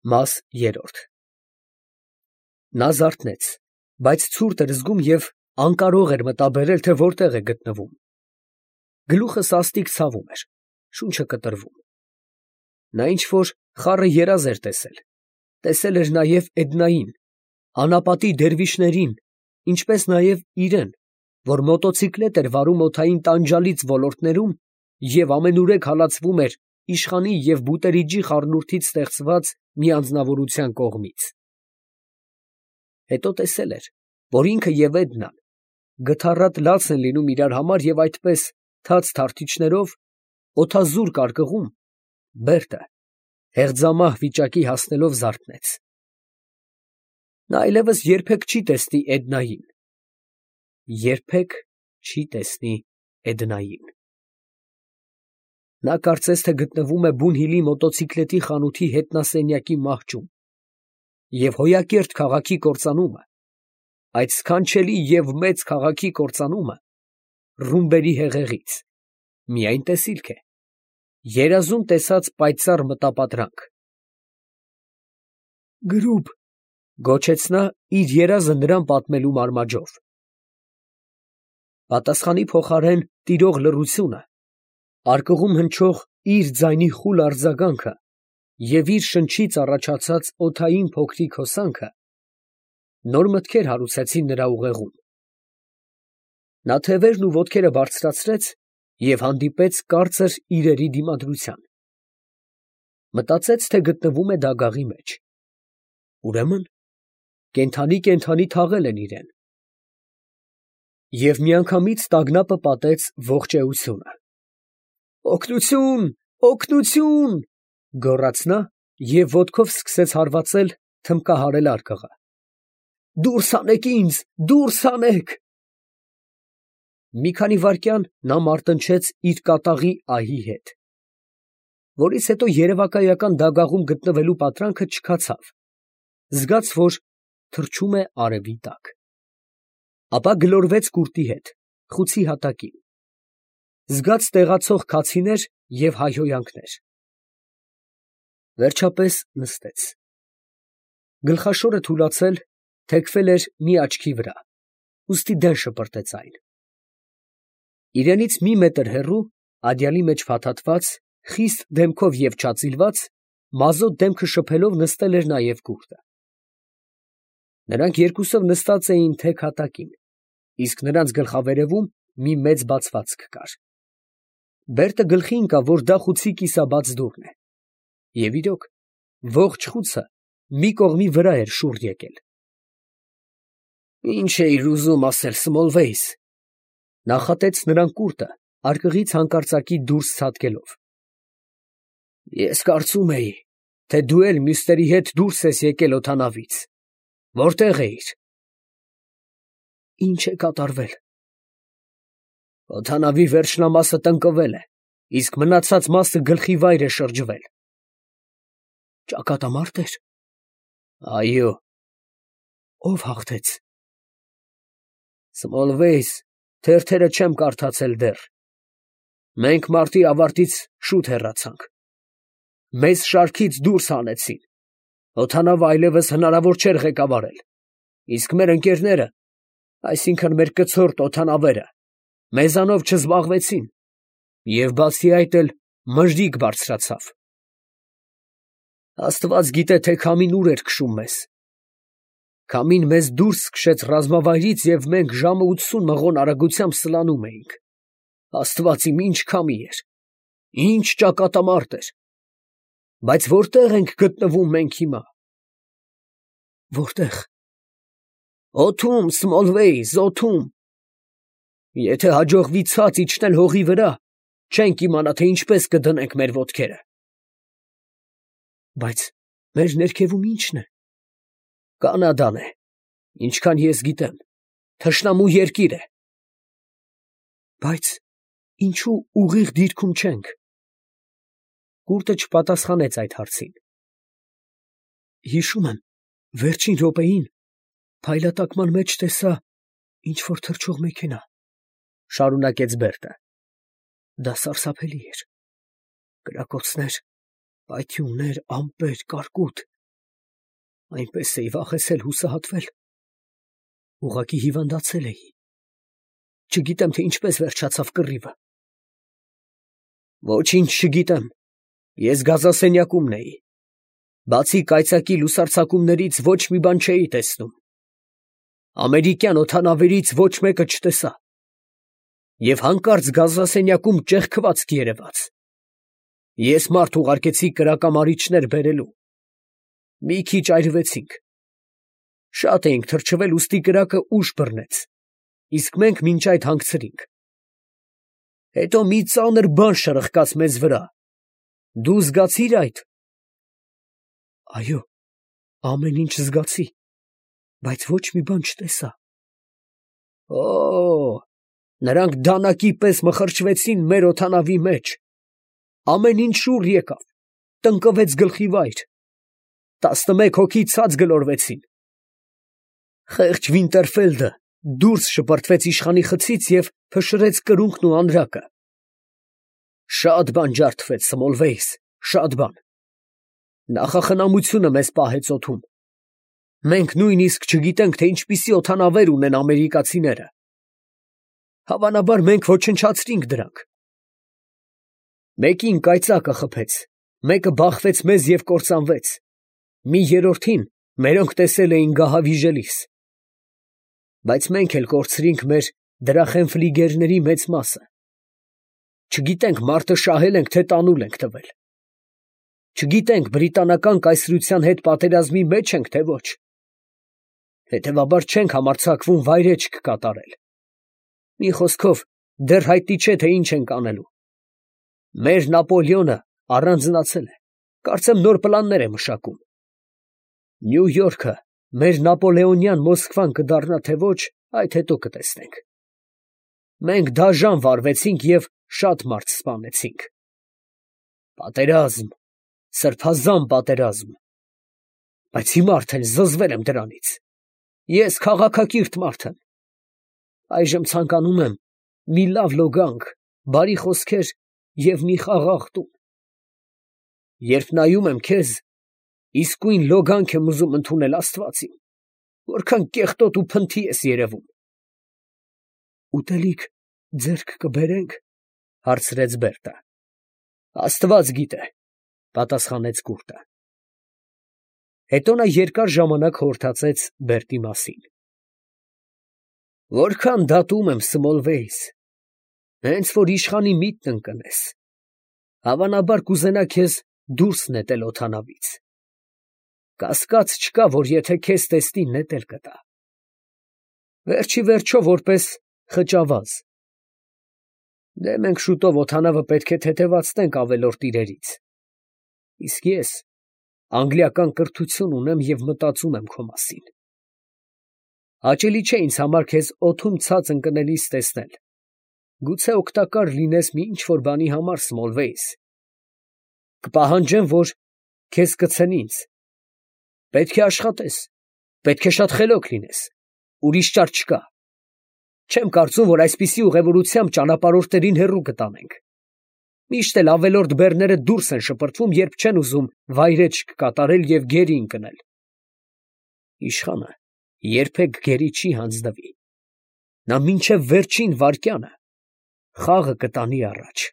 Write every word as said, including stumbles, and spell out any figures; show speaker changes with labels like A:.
A: Մաս երրորդ Նա զարթնեց, բայց ցուրտ էր զգում և անկարող էր մտաբերել, թե որտեղ է գտնվում. գլուխը սաստիկ ցավում էր, շունչը կտրվում. նա ինչ֊որ խառը երազ էր տեսել, տեսել էր նաև Էդնային, անապատի դերվիշերին, ինչպես նաև իրան, որ մոտոցիկլետ էր վարում օդային տանջալից ոլորտներում և ամենուրեք հալածվում էր իշխանի և բուտերիջի խառնուրդից ստեղծված մի անձնավորության կողմից. հետո տեսել էր, որ ինքը և Էդնան գթառատ լաց են լինում իրար համար և այդպես, թաց թարթիչներով, օդազուր կարկղում, Բերտը հեղձամահ վիճակի հասնելով զարթնեց. նա այլևս երբեք չի տեսնի Էդնային… երբեք չի տեսնի Էդնային… Նա կարծես թե գտնվում է Բունհիլի մոտոցիկլետի խանութի հետնասենյակի մահճում, և հոյակերտ քաղաքի կործանումը, այդ սքանչելի և մեծ քաղաքի կործանումը ռումբերի հեղեղից, միայն տեսիլք է, երազում տեսած պայծառ մտապատրանք… «Գրուպ», ֊ գոչեց նա իր երազը նրան պատմելու մարմաջով… Պատասխանի փոխարեն տիրող լռությունը, արկղում հնչող իր ձայնի խուլ արձագանքը և իր շնչից առաջացած օդային փոքրիկ հոսանքը նոր մտքեր հարուցեցին նրա ուղեղում… Նա թևերն ու ոտքերը բարձրացրեց և հանդիպեց կարծր իրերի դիմադրության… Մտածեց, թե գտնվում է դագաղի մեջ… ուրեմն կենդանի֊կենդանի թաղել են իրան… Եվ միանգամից տագնապը պատեց ողջ էությունը… «Օգնությո՛ւն, օգնությո՛ւն», ֊ գոռաց նա և ոտքով սկսեց հարվածել թմբկահարել արկղը… «Դուրս հանեք ինձ, դուրս հանեք»… Մի քանի վայրկյան նա մարտնչեց իր կատաղի ահի հետ, որից հետո երևակայական դագաղում գտնվելու պատրանքը չքացավ, զգաց, որ թռչում է արևի տակ… Ապա գլորվեց կուրտի հետ, խուցի հատակին… Զգաց տեղացող քացիներ և հայհոյանքներ… Վերջապես նստեց… Գլխաշորը թուլացել, թեքվել էր մի աչքի վրա, ուստի դեն շպրտեց այն… Իրենից մի մետր հեռու, ադյալի մեջ փաթաթված, խիստ դեմքով և չածիլված, մազոտ դեմքը շփելով նստել էր նաև կուրտը… Նրանք երկուսով նստած էին թեք հատակին, իսկ նրանց գլխավերևում մի մեծ բացվածք կար… Բերտը գլխի ընկավ, որ դա խուցի կիսաբաց դուռն է… Եվ իրոք, ողջ խուցը մի կողմի վրա էր շուռ եկել… «Ի՞նչ էիր ուզում ասել, Սմոլվեյս», ֊ նախատեց նրան կուրտը, արկղից հանկարծակի դուրս ցատկելով… «Ես կարծում էի, թե դու էլ մյուսների հետ դուրս ես եկել օդանավից… Որտե՞ղ էիր»… «Ի՞նչ է կատարվել»… «Օդանավի վերջնամասը տնկվել է, իսկ մնացած մասը գլխիվայր է շրջվել»… «Ճակատամա՞րտ էր»… «Այո»… «Ո՞վ հաղթեց»… «Սմոլվեյս, թերթերը չեմ կարդացել դեռ… Մենք մարտի ավարտից շուտ հեռացանք… Մեզ շարքից դուրս հանեցին… Օդանավը այլևս հնարավոր չէր ղեկավարել, իսկ մեր ընկերները, այսինքն մեր կցորդ օդանավերը, մեզանով չզբաղվեցին, և բացի այդ էլ մրրիկ բարձրացավ… Աստված գիտե, թե քամին ուր էր քշում մեզ… Քամին մեզ դուրս քշեց ռազմավայրից և մենք ժամը ութսուն մղոն արագությամբ սլանում էինք… Աստված իմ, ի՜նչ քամի էր… ի՜նչ ճակատամարտ էր… Բայց որտե՞ղ ենք գտնվում մենք հիմա… Որտե՞ղ… Օդում, Սմոլվեյս, օդում… Եթե հաջողվի ցած իջնել հողի վրա, չենք իմանա, թե ինչպես կդնենք մեր ոտքերը… Բայց մեր ներքևում ի՞նչն է… Կանադան է, ինչքան ես գիտեմ, թշնամու երկիր է… Բայց ինչո՞ւ ուղիղ դիրքում չենք… Կուրտը չպատասխանեց այդ հարցին… Հիշում եմ, վերջին րոպեին փայլատակման մեջ տեսա ինչ֊որ թռչող մեքենա… ֊ շարունակեց Բերտը… Դա սարսափելի էր… Կրակոցներ, պայթյուններ, ամպեր, կարկուտ… Այնպես էի վախեցել հուսահատվել, ուղղակի հիվանդացել էի, չգիտեմ, թե ինչպես վերջացավ կռիվը։ Ոչինչ չգիտեմ, ես գազասենյակումն էի, բացի կայծակի լուսարձակումներից ոչ մի բան չէի տեսնում, ամերիկյան օդանավերից ոչ մեկը չտեսա, և հանկարծ գազասենյակում ճեղքվածք երևաց, ես մարդ ուղարկեցի կրակամարիչներ բերելու, մի քիչ այրվեցինք, շատ էինք թրջվել, ուստի կրակը ուժ բռնեց, իսկ մենք մինչ այդ հանգցրինք, հետո մի ծանր բան շրխկաց մեզ վրա, դու զգացի՞ր այդ։ Այո, ամեն ինչ զգացի, բայց ոչ մի բան չտեսա։ Օ, նրանք դանակի պես մխրճվեցին մեր օդանավի մեջ, ամեն ինչ շուռ եկավ, տնկվեց գլխիվայր, տասնմեկ հոգի ցած գլորվեցին։ Խեղճ Վինտերֆելդը դուրս շպրտվեց իշխանի խցից և փշրեց կրունկն ու անրակը։ Շատ բան ջարդվեց, Սմոլվեյս, շատ բան։ Նախախնամությունը մեզ պահեց օդում։ Մենք նույնիսկ չգիտենք, թե ինչպիսի օդանավեր ունեն ամերիկացիները։ Հավանաբար մենք ոչնչացրինք դրանք։ Մեկին կայծակը խփեց, մեկը բախվեց մեզ և կործանվեց, մի երրորդին մերոնք տեսել էին գահավիժելիս։ Բայց մենք էլ կորցրինք մեր դրախենֆլիգերների մեծ մասը։ Չգիտենք մարտը շահել ենք, թե տանուլ ենք տվել։ Չգիտենք բրիտանական կայսրության հետ պատերազմի մեջ ենք, թե ոչ։ Հետևաբար չենք համարձակվում վայրէջք կատարել։ Մի խոսքով, դեռ հայտնի չէ, թե ինչ ենք անելու։ Մեր Նապոլեոնը առանձնացել է, կարծեմ նոր պլաններ է մշակում։ Նյու Յորքը մեր նապոլեոնյան Մոսկվան կդառնա, թե ոչ, այդ հետո կտեսնենք։ Մենք դաժան վարվեցինք և շատ մարդ սպանեցինք։ Պատերազմ, սրբազան պատերազմ։ Բայց հիմա արդեն զզվել եմ դրանից։ Ես քաղաքակիրթ մարդ եմ։ Այժմ ցանկանում եմ մի լավ լոգանք, բարի խոսքեր և մի խաղաղ տուն։ Երբ նայում եմ քեզ, իսկույն լոգանք եմ ուզում ընդունել, Աստված իմ, որքան կեղտոտ ու փնթի ես երևում։ Ուտելիք ձեռք կբերե՞նք, հարցրեց Բերտը։ Աստված գիտե, պատասխանեց քուրդը։ Հետո նա երկար ժամանակ խորհրդացեց Բերտի մասին։ Որքան դատում եմ, Սմոլվեյս, հենց որ իշխանի միտքն ընկնես, հավանաբար կուզենա քեզ դուրս նետել օդանավից։ Կասկած չկա, որ եթե քեզ տեսնի, նետել կտա։ Վերջի վերջո որպես խճավազ։ Դե մենք շուտով օդանավը պետք է թեթևացնենք ավելորդ իրերից։ Իսկ ես անգլիական կրթություն ունեմ և մտածում եմ քո մասին։ Հաճելի չէ ինձ համար քեզ օդում ցած ընկնելիս տեսնել։ Գուցե օգտակար լինես մի ինչ-որ բանի համար, Սմոլվեյս։ Կպահանջեմ, որ քեզ կցեն ինձ։ Պետք է աշխատես, պետք է շատ խելոք լինես, ուրիշ ճար չկա։ Չեմ կարծում, որ այսպիսի ուղևորությամբ ճանապարհորդներին հեռու կտանենք։ Միշտ էլ ավելորդ բեռները դուրս են շպրտվում, երբ չեն ուզում վայրեջք կատարել և գերի ընկնել։ Իշխանը երբեք գերի չի հանձնվի։ Նա մինչև վերջին վայրկյանը խաղը կտանի առաջ։